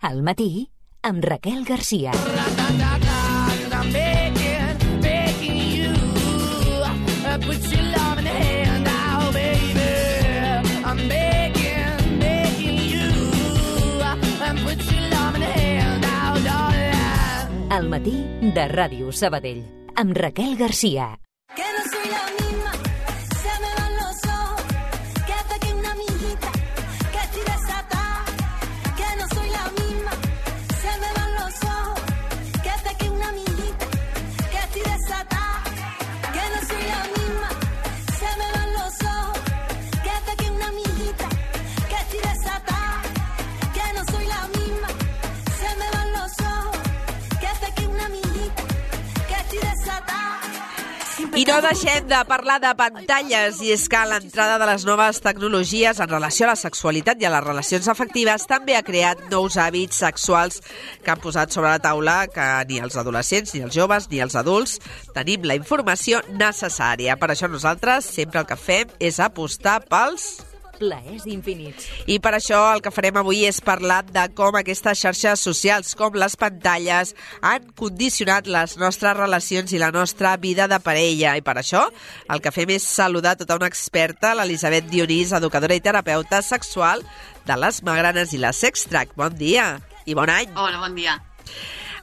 Al matí, amb Raquel Garcia. Al matí de Ràdio Sabadell, amb Raquel Garcia. I no deixem de parlar de pantalles, i és que l'entrada de les noves tecnologies en relació a la sexualitat i a les relacions afectives també ha creat nous hàbits sexuals que han posat sobre la taula que ni els adolescents, ni els joves, ni els adults tenim la informació necessària. Per això nosaltres sempre el que fem és apostar pels plaers infinits. I per això el que farem avui és parlar de com aquestes xarxes socials, com les pantalles, han condicionat les nostres relacions i la nostra vida de parella. I per això el que fem és saludar tota una experta, l'Elisabet Dionís, educadora i terapeuta sexual de les Magranes i la Sextrack. Bon dia i bon any. Hola, bon dia.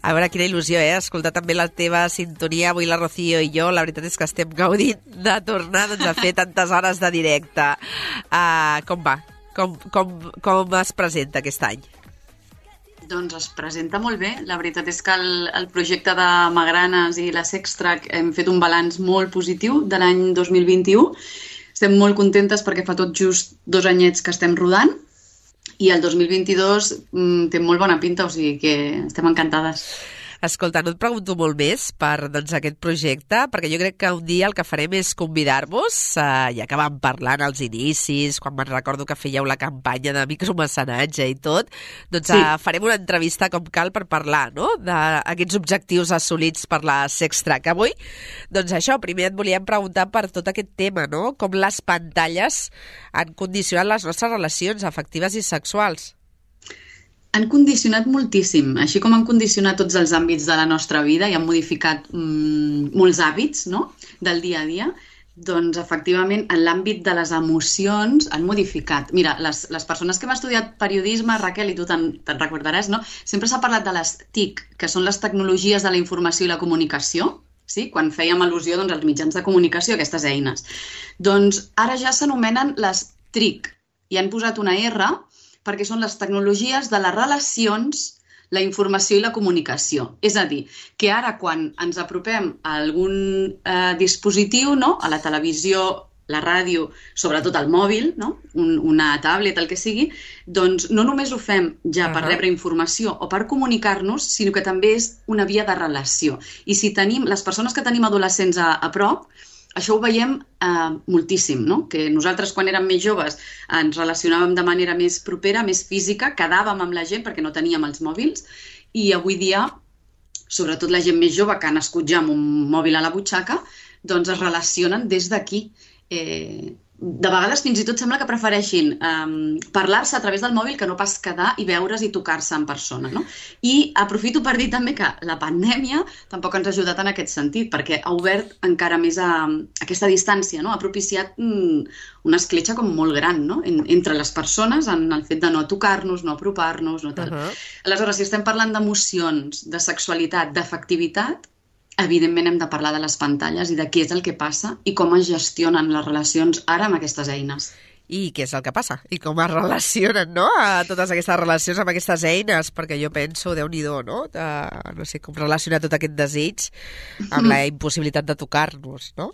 A veure, quina il·lusió, escoltar també la teva sintonia. Avui la Rocío i jo, la veritat és que estem gaudint de tornar a fer tantes hores de directe. Com va? Com es presenta aquest any? Doncs es presenta molt bé. La veritat és que el projecte de Magranes i la Sextrack hem fet un balanç molt positiu de l'any 2021. Estem molt contentes perquè fa tot just 2 anyets que estem rodant. I el 2022 té molt bona pinta, o sigui que estem encantades. Escolta, no et pregunto molt més per aquest projecte, perquè jo crec que un dia el que farem és convidar-vos, ja que vam parlar als inicis, quan me'n recordo que fèieu la campanya de micromecenatge i tot, doncs sí. Farem una entrevista com cal per parlar, no?, d'aquests objectius assolits per la Sextrack. Avui, doncs això, primer et volíem preguntar per tot aquest tema, no?, com les pantalles han condicionat les nostres relacions afectives i sexuals. Han condicionat moltíssim, així com han condicionat tots els àmbits de la nostra vida i han modificat molts hàbits, no?, del dia a dia, doncs efectivament en l'àmbit de les emocions han modificat. Mira, les persones que hem estudiat periodisme, Raquel, i tu te'n recordaràs, no?, sempre s'ha parlat de les TIC, que són les tecnologies de la informació i la comunicació, sí? Quan fèiem al·lusió als mitjans de comunicació, aquestes eines. Doncs ara ja s'anomenen les TRIC i han posat una R perquè són les tecnologies de les relacions, la informació i la comunicació. És a dir, que ara quan ens apropem a algun dispositiu, no?, a la televisió, la ràdio, sobretot el mòbil, no?, una tablet, el que sigui, doncs no només ho fem ja per rebre informació o per comunicar-nos, sinó que també és una via de relació. I si tenim, les persones que tenim adolescents a prop, això ho veiem moltíssim, no? Que nosaltres quan érem més joves ens relacionàvem de manera més propera, més física, quedàvem amb la gent perquè no teníem els mòbils i avui dia, sobretot la gent més jove que ha nascut ja amb un mòbil a la butxaca, doncs es relacionen des d'aquí. De vegades fins i tot sembla que prefereixin parlar-se a través del mòbil que no pas quedar i veure's i tocar-se en persona, no? I aprofito per dir també que la pandèmia tampoc ens ha ajudat en aquest sentit, perquè ha obert encara més aquesta distància, no? Ha propiciat una escletxa com molt gran, no?, entre les persones en el fet de no tocar-nos, no apropar-nos, no tal. Aleshores, si estem parlant d'emocions, de sexualitat, d'afectivitat, evidentment hem de parlar de les pantalles i de què és el que passa i com es gestionen les relacions ara amb aquestes eines. I què és el que passa? I com es relacionen, no?, a totes aquestes relacions amb aquestes eines? Perquè jo penso, Déu-n'hi-do, no?, no sé com relacionar tot aquest desig amb la impossibilitat de tocar-nos, no?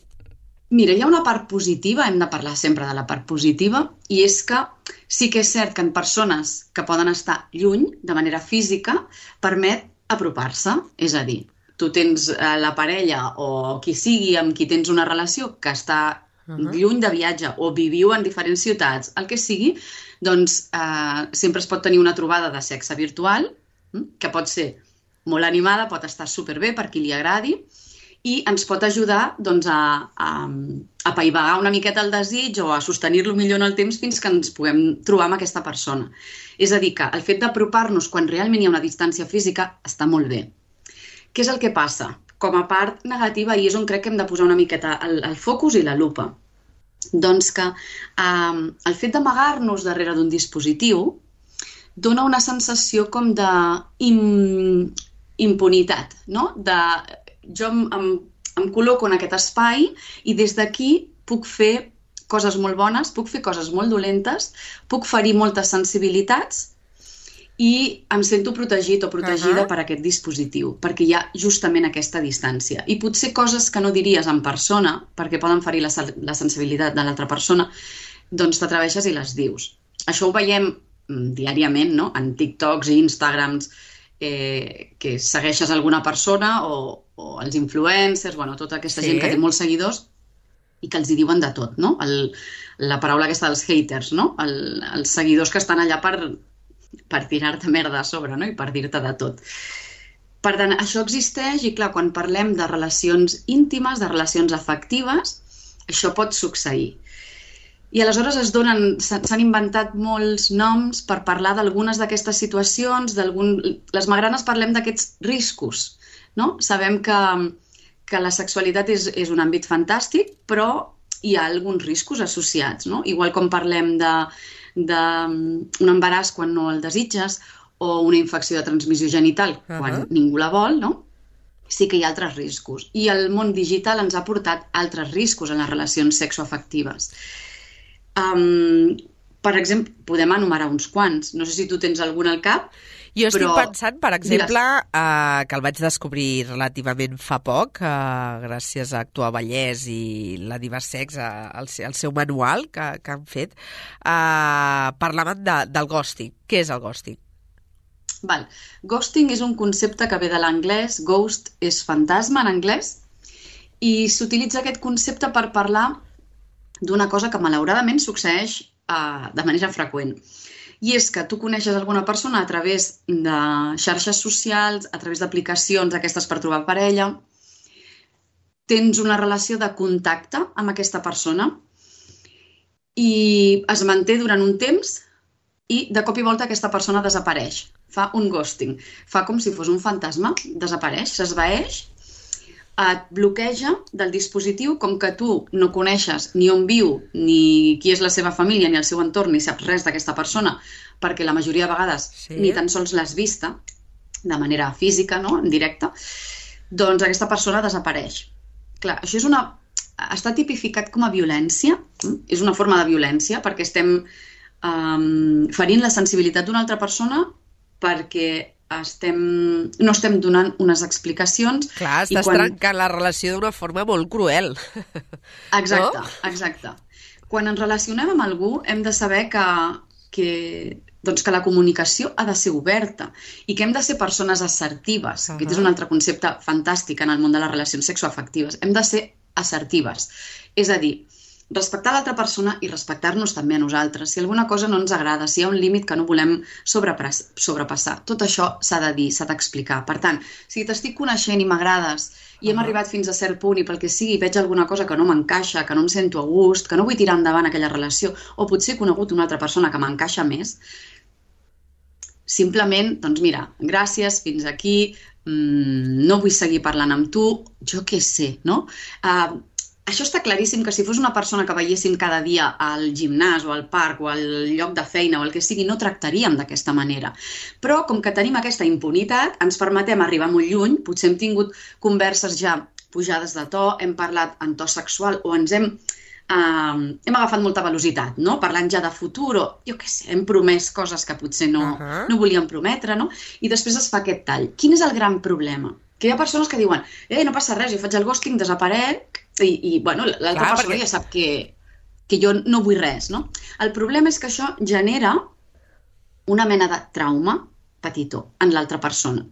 Mira, hi ha una part positiva, hem de parlar sempre de la part positiva, i és que sí que és cert que en persones que poden estar lluny, de manera física, permet apropar-se, és a dir, tu tens la parella o qui sigui amb qui tens una relació que està lluny de viatge o viviu en diferents ciutats, el que sigui, doncs sempre es pot tenir una trobada de sexe virtual, que pot ser molt animada, pot estar superbé per qui li agradi, i ens pot ajudar doncs, a apaivagar una miqueta el desig o a sostenir-lo millor en el temps fins que ens puguem trobar amb aquesta persona. És a dir, que el fet d'apropar-nos quan realment hi ha una distància física està molt bé. Què és el que passa? Com a part negativa, i és on crec que hem de posar una miqueta el focus i la lupa. Doncs que el fet d'amagar-nos darrere d'un dispositiu dona una sensació com d'impunitat, no? Jo em col·loco en aquest espai i des d'aquí puc fer coses molt bones, puc fer coses molt dolentes, puc ferir moltes sensibilitats i em sento protegit o protegida per aquest dispositiu, perquè hi ha justament aquesta distància. I potser coses que no diries en persona, perquè poden ferir la sensibilitat de l'altra persona, doncs t'atreveixes i les dius. Això ho veiem diàriament, no? En TikToks i Instagrams, que segueixes alguna persona o els influencers, tota aquesta gent que té molts seguidors i que els hi diuen de tot, no? La paraula aquesta dels haters, no? Els seguidors que estan allà per tirar-te merda a sobre, no? I per dir-te de tot. Per tant, això existeix i, clar, quan parlem de relacions íntimes, de relacions afectives, això pot succeir. I aleshores s'han inventat molts noms per parlar d'algunes d'aquestes situacions, les magranes parlem d'aquests riscos, no? Sabem que la sexualitat és un àmbit fantàstic, però hi ha alguns riscos associats, no? Igual com parlem d'un embaràs quan no el desitges o una infecció de transmissió genital quan ningú la vol, no? Sí que hi ha altres riscos. I el món digital ens ha portat altres riscos en les relacions sexoafectives. Per exemple, podem enumerar uns quants. No sé si tu tens algun al cap. Jo estic pensant, per exemple, que el vaig descobrir relativament fa poc, gràcies a Actua Vallès i la Diversex, el seu manual que han fet, parlaven del ghosting. Què és el ghosting? Ghosting és un concepte que ve de l'anglès, ghost és fantasma en anglès, i s'utilitza aquest concepte per parlar d'una cosa que malauradament succeeix de manera freqüent. I és que tu coneixes alguna persona a través de xarxes socials, a través d'aplicacions aquestes per trobar parella, tens una relació de contacte amb aquesta persona i es manté durant un temps i de cop i volta aquesta persona desapareix, fa un ghosting, fa com si fos un fantasma, desapareix, s'esvaeix, et bloqueja del dispositiu, com que tu no coneixes ni on viu, ni qui és la seva família, ni el seu entorn, ni saps res d'aquesta persona, perquè la majoria de vegades ni tan sols l'has vista de manera física, no? En directe, doncs aquesta persona desapareix. Clar, això està tipificat com a violència, és una forma de violència, perquè estem ferint la sensibilitat d'una altra persona perquè no estem donant unes explicacions. Clar, estàs trencant la relació d'una forma molt cruel. Exacte. Quan ens relacionem amb algú hem de saber que la comunicació ha de ser oberta i que hem de ser persones assertives. Aquest és un altre concepte fantàstic en el món de les relacions sexoafectives. Hem de ser assertives. És a dir, respectar l'altra persona i respectar-nos també a nosaltres. Si alguna cosa no ens agrada, si hi ha un límit que no volem sobrepassar, tot això s'ha de dir, s'ha d'explicar. Per tant, si t'estic coneixent i m'agrades i hem arribat fins a cert punt i pel que sigui veig alguna cosa que no m'encaixa, que no em sento a gust, que no vull tirar endavant aquella relació, o potser he conegut una altra persona que m'encaixa més, simplement, doncs mira, gràcies, fins aquí, no vull seguir parlant amb tu, jo què sé, no? Això està claríssim que si fos una persona que veiéssim cada dia al gimnàs o al parc o al lloc de feina o el que sigui, no tractaríem d'aquesta manera. Però com que tenim aquesta impunitat, ens permetem arribar molt lluny, potser hem tingut converses ja pujades de to, hem parlat en to sexual o ens hem agafat molta velocitat, no? Parlant ja de futur o, jo què sé, hem promès coses que potser no volíem prometre, no? I després es fa aquest tall. Quin és el gran problema? Que hi ha persones que diuen, no passa res, jo faig el ghosting, desaparec, i l'altra persona ja sap que jo no vull res, no? El problema és que això genera una mena de trauma petitó en l'altra persona.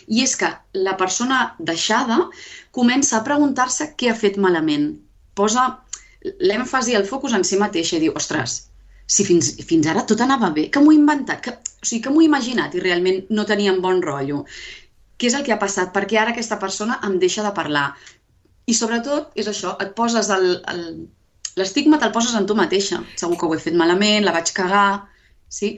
I és que la persona deixada comença a preguntar-se què ha fet malament. Posa l'èmfasi, el focus en si mateixa i diu, ostres, si fins ara tot anava bé, que m'ho he inventat, que m'ho he imaginat i realment no tenia un bon rotllo. Què és el que ha passat? Perquè ara aquesta persona em deixa de parlar. I sobretot és això, et poses l'estigma te'l poses en tu mateixa. Segur que ho he fet malament, la vaig cagar, sí?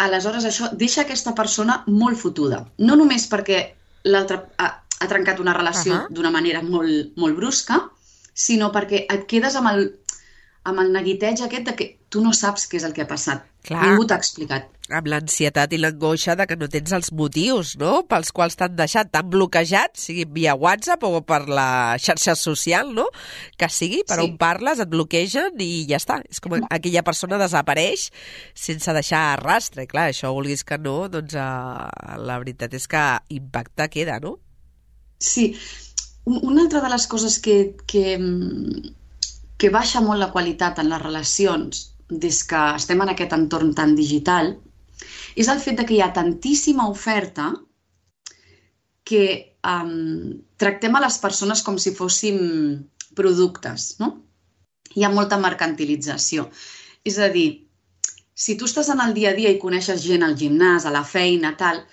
Aleshores això deixa aquesta persona molt fotuda. No només perquè l'altre ha trencat una relació d'una manera molt, molt brusca, sinó perquè et quedes amb el neguiteig aquest de que tu no saps què és el que ha passat. Clar. Ningú t'ha explicat. Amb l'ansietat i l'angoixa de que no tens els motius, no?, pels quals t'han deixat, t'han bloquejat, sigui via WhatsApp o per la xarxa social, no?, que sigui, per on parles, et bloquegen i ja està. És com aquella persona desapareix sense deixar rastre. I clar, això, vulguis que no, doncs la veritat és que impacte queda, no? Sí. Una altra de les coses que baixa molt la qualitat en les relacions des que estem en aquest entorn tan digital és el fet de que hi ha tantíssima oferta que tractem a les persones com si fóssim productes, no? Hi ha molta mercantilització. És a dir, si tu estàs en el dia a dia i coneixes gent al gimnàs, a la feina, tal,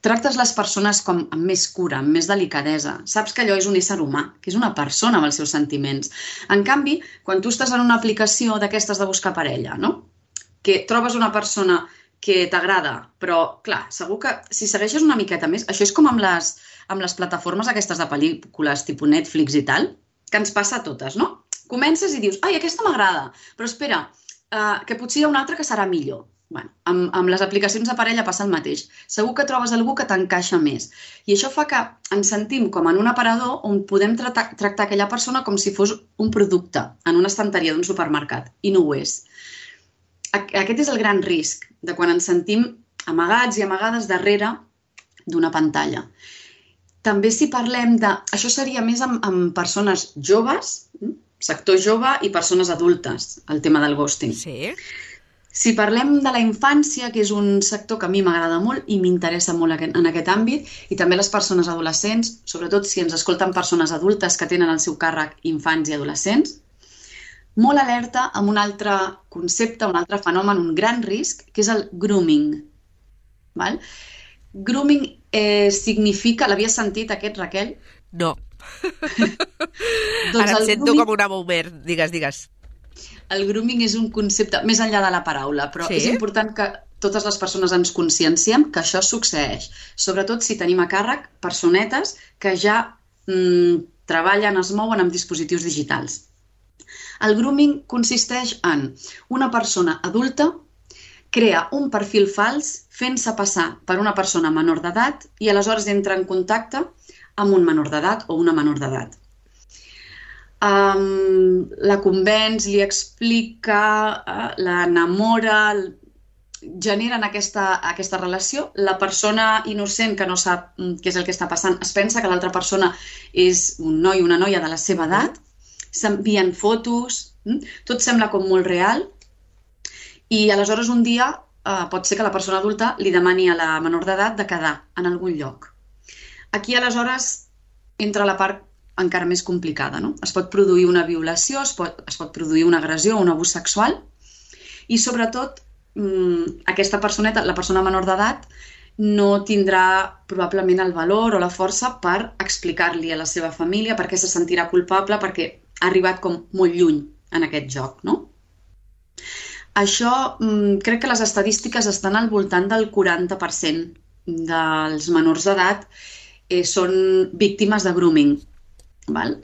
tractes les persones com amb més cura, amb més delicadesa. Saps que allò és un ésser humà, que és una persona amb els seus sentiments. En canvi, quan tu estàs en una aplicació d'aquestes de buscar parella, no?, que trobes una persona que t'agrada, però, clar, segur que si segueixes una miqueta més, això és com amb les plataformes aquestes de pel·lícules tipus Netflix i tal, que ens passa a totes, no? Comences i dius, ai, aquesta m'agrada, però espera, que potser hi ha una altra que serà millor. Bueno, amb les aplicacions de parella passa el mateix. Segur que trobes algú que t'encaixa més. I això fa que ens sentim com en un aparador on podem tractar aquella persona com si fos un producte en una estanteria d'un supermercat, i no ho és. Aquest és el gran risc de quan ens sentim amagats i amagades darrere d'una pantalla. També si parlem de... Això seria més amb persones joves, sector jove i persones adultes, el tema del ghosting. Sí. Si parlem de la infància, que és un sector que a mi m'agrada molt i m'interessa molt en aquest àmbit, i també les persones adolescents, sobretot si ens escolten persones adultes que tenen al seu càrrec infants i adolescents, molt alerta amb un altre concepte, un altre fenomen, un gran risc, que és el grooming. Val? Grooming significa... L'havies sentit aquest, Raquel? No. Ara em sento com una boomer. Digues. El grooming és un concepte més enllà de la paraula, però és important que totes les persones ens conscienciem que això succeeix. Sobretot si tenim a càrrec personetes que ja treballen, es mouen amb dispositius digitals. El grooming consisteix en una persona adulta crea un perfil fals fent-se passar per una persona menor d'edat i aleshores entra en contacte amb un menor d'edat o una menor d'edat. La convenç, li explica, l'enamora, generen aquesta relació. La persona innocent que no sap què és el que està passant es pensa que l'altra persona és un noi o una noia de la seva edat, s'envien fotos, tot sembla com molt real i aleshores un dia pot ser que la persona adulta li demani a la menor d'edat de quedar en algun lloc. Aquí aleshores entra la part encara més complicada, no? Es pot produir una violació, es pot produir una agressió o un abús sexual i sobretot aquesta personeta, la persona menor d'edat, no tindrà probablement el valor o la força per explicar-li a la seva família perquè se sentirà culpable perquè ha arribat com molt lluny en aquest joc, no? Això, crec que les estadístiques estan al voltant del 40% dels menors d'edat són víctimes de grooming. Val?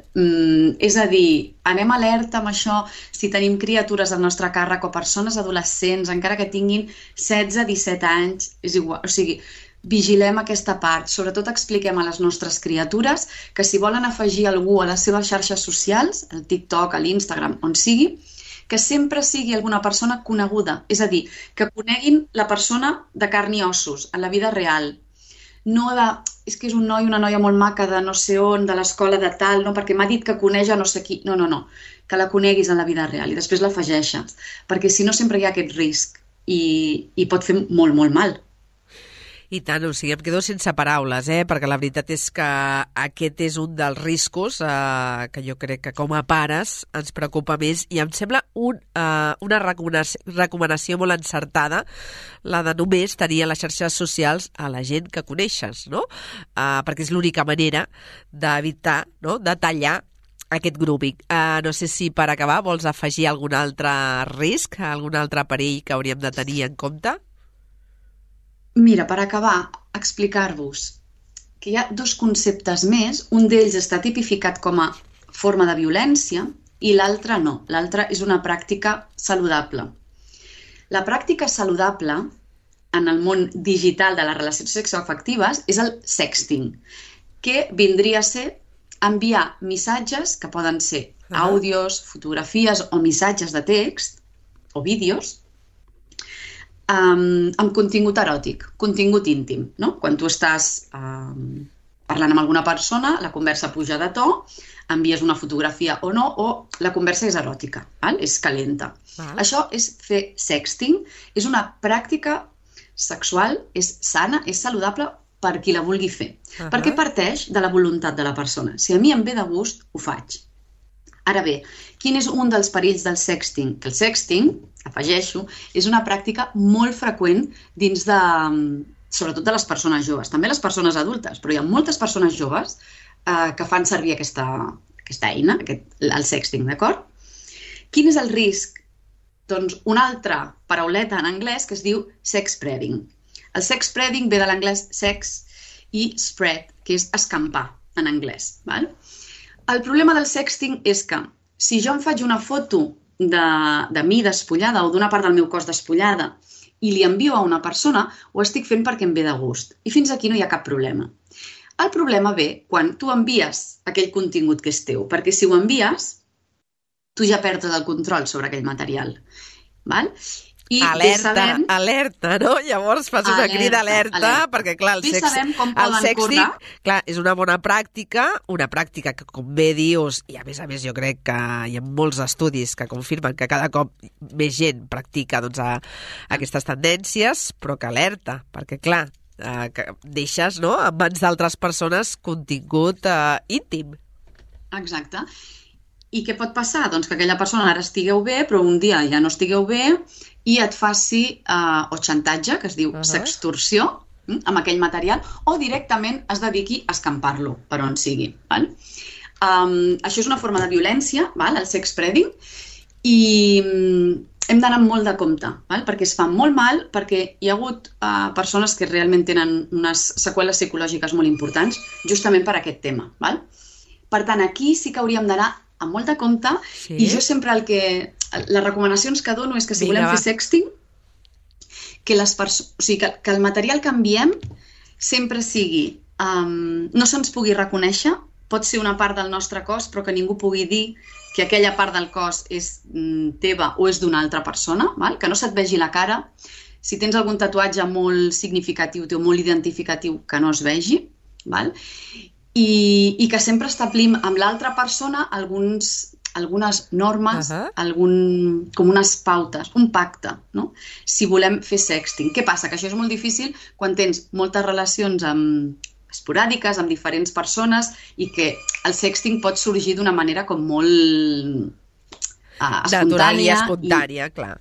És a dir, anem alerta amb això si tenim criatures al nostre càrrec o persones adolescents, encara que tinguin 16-17 anys, és igual, o sigui, vigilem aquesta part, sobretot expliquem a les nostres criatures que si volen afegir algú a les seves xarxes socials, al TikTok, a l'Instagram, on sigui, que sempre sigui alguna persona coneguda, és a dir, que coneguin la persona de carn i ossos, en la vida real. No de, és que és un noi, una noia molt maca de no sé on, de l'escola de tal, no, perquè m'ha dit que coneix a no sé qui. No, que la coneguis en la vida real i després l'afegeixes, perquè si no sempre hi ha aquest risc i pot fer molt, molt mal. I tant, o sigui, em quedo sense paraules, perquè la veritat és que aquest és un dels riscos que jo crec que com a pares ens preocupa més i em sembla una recomanació molt encertada, la de només tenir a les xarxes socials a la gent que coneixes, no? Perquè és l'única manera d'evitar, no?, de tallar aquest grouping. No sé si per acabar vols afegir algun altre risc, algun altre perill que hauríem de tenir en compte? Mira, per acabar, explicar-vos que hi ha dos conceptes més. Un d'ells està tipificat com a forma de violència i l'altre no. L'altre és una pràctica saludable. La pràctica saludable en el món digital de les relacions sexoafectives és el sexting, que vindria a ser enviar missatges, que poden ser àudios, fotografies o missatges de text o vídeos, amb contingut eròtic, contingut íntim, no? Quan tu estàs parlant amb alguna persona, la conversa puja de to, envies una fotografia o no, o la conversa és eròtica, és calenta. Això és fer sexting, és una pràctica sexual, és sana, és saludable per qui la vulgui fer, perquè parteix de la voluntat de la persona. Si a mi em ve de gust, ho faig. Ara bé, quin és un dels perills del sexting? Que el sexting, afegeixo, és una pràctica molt freqüent dins de, sobretot de les persones joves, també les persones adultes, però hi ha moltes persones joves que fan servir aquesta eina, el sexting, d'acord? Quin és el risc? Doncs una altra parauleta en anglès que es diu sex spreading. El sex spreading ve de l'anglès sex i spread, que és escampar en anglès. El problema del sexting és que si jo em faig una foto de mi despullada o d'una part del meu cos despullada i li envio a una persona, ho estic fent perquè em ve de gust. I fins aquí no hi ha cap problema. El problema ve quan tu envies aquell contingut que és teu, perquè si ho envies, tu ja perds el control sobre aquell material. I alerta, no? Llavors fas una crida alerta, perquè clar, el sexting és una bona pràctica, que com bé dius, i a més jo crec que hi ha molts estudis que confirmen que cada cop més gent practica aquestes tendències, però que alerta, perquè clar, que deixes en mans d'altres persones contingut íntim. Exacte. I què pot passar? Doncs que aquella persona ara estigueu bé, però un dia ja no estigueu bé i et faci o xantatge, que es diu sextorsió, amb aquell material, o directament es dediqui a escampar-lo per on sigui. Això és una forma de violència, el sex spreading, i hem d'anar molt de compte, perquè es fa molt mal, perquè hi ha hagut persones que realment tenen unes seqüeles psicològiques molt importants justament per aquest tema. Per tant, aquí sí que hauríem d'anar amb molt de compte, i jo sempre les recomanacions que dono és que si volem fer sexting, que el material que enviem sempre sigui, no se'ns pugui reconèixer, pot ser una part del nostre cos, però que ningú pugui dir que aquella part del cos és teva o és d'una altra persona, que no se't vegi la cara. Si tens algun tatuatge molt significatiu o molt identificatiu, que no es vegi, i que sempre establim amb l'altra persona algunes normes, com unes pautes, un pacte, si volem fer sexting. Què passa? Que això és molt difícil quan tens moltes relacions esporàdiques amb diferents persones i que el sexting pot sorgir d'una manera com molt natural i espontània, clar.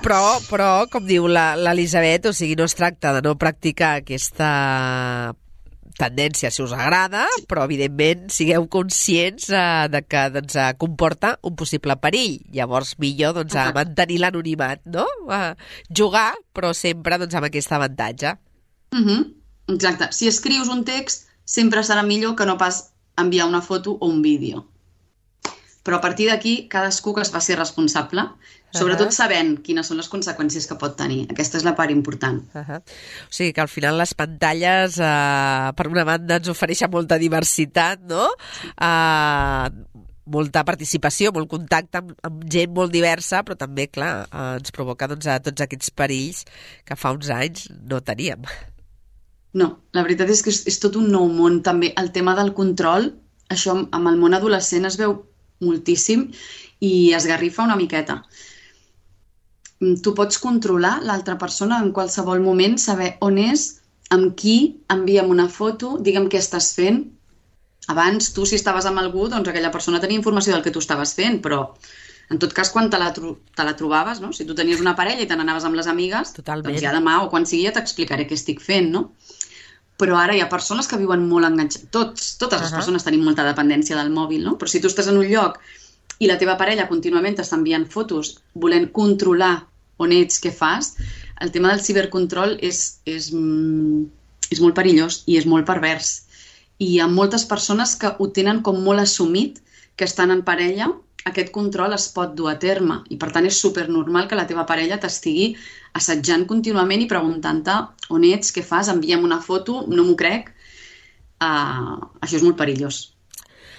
Però, com diu l'Elisabet, o sigui, no es tracta de no practicar aquesta tendència, si us agrada, però evidentment sigueu conscients de que comporta un possible perill. Llavors, millor mantenir l'anonimat, no? Jugar, però sempre amb aquest avantatge. Exacte. Si escrius un text, sempre serà millor que no pas enviar una foto o un vídeo. Però a partir d'aquí, cadascú que es faci responsable, sobretot sabent quines són les conseqüències que pot tenir. Aquesta és la part important. O sigui que al final les pantalles, per una banda, ens ofereixen molta diversitat, no? Molta participació, molt contacte amb gent molt diversa, però també, clar, ens provoca tots aquests perills que fa uns anys no teníem. No, la veritat és que és tot un nou món. També el tema del control, això amb el món adolescent es veu moltíssim i esgarrifa una miqueta. Tu pots controlar l'altra persona en qualsevol moment, saber on és, amb qui enviem una foto, digue'm què estàs fent. Abans, tu, si estaves amb algú, doncs aquella persona tenia informació del que tu estaves fent, però en tot cas, quan te la trobaves, no? Si tu tenies una parella i te n'anaves amb les amigues, Totalment. doncs ja demà o quan sigui ja t'explicaré què estic fent, no? Però ara hi ha persones que viuen molt enganxades. Totes les persones tenim molta dependència del mòbil, no? Però si tu estàs en un lloc i la teva parella contínuament t'està enviant fotos volent controlar on ets, què fas, el tema del cibercontrol és molt perillós i és molt pervers. I hi ha moltes persones que ho tenen com molt assumit, que estan en parella, aquest control es pot dur a terme. I per tant és supernormal que la teva parella t'estigui assetjant contínuament i preguntant-te on ets, què fas, envia'm una foto, no m'ho crec. Això és molt perillós.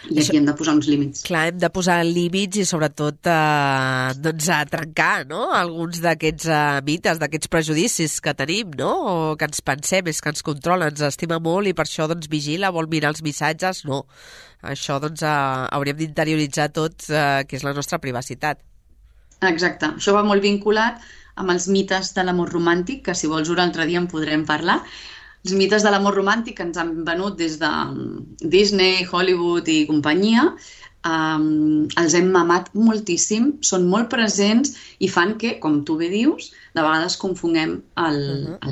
I aquí hem de posar uns límits. Clar, hem de posar límits i sobretot doncs a trencar, no?, alguns d'aquests mites, d'aquests prejudicis que tenim, no?, o que ens pensem, és que ens controla, ens estima molt i per això doncs vigila, vol mirar els missatges. No, això doncs hauríem d'interioritzar tot, que és la nostra privacitat. Exacte, això va molt vinculat amb els mites de l'amor romàntic, que si vols un altre dia en podrem parlar. Els mites de l'amor romàntic que ens han venut des de Disney, Hollywood i companyia, els hem mamat moltíssim, són molt presents i fan que, com tu bé dius, de vegades confonguem el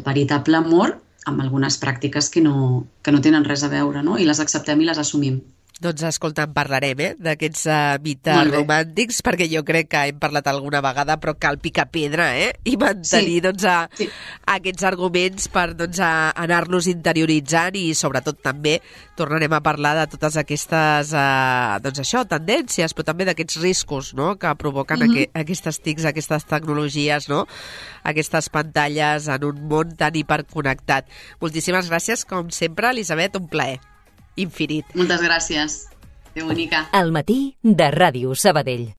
veritable amor amb algunes pràctiques que no tenen res a veure, no? I les acceptem i les assumim. Doncs escolta, en parlarem, d'aquests mites romàntics, perquè jo crec que hem parlat alguna vegada, però cal picar pedra, i mantenir aquests arguments per anar-los interioritzant i sobretot també tornarem a parlar de totes aquestes tendències, però també d'aquests riscos, no?, que provoquen aquestes TICs, aquestes tecnologies, no?, aquestes pantalles en un món tan hiperconnectat. Moltíssimes gràcies, com sempre, Elisabet, un plaer infinit. Moltes gràcies. Que bonica. Al matí de Ràdio Sabadell.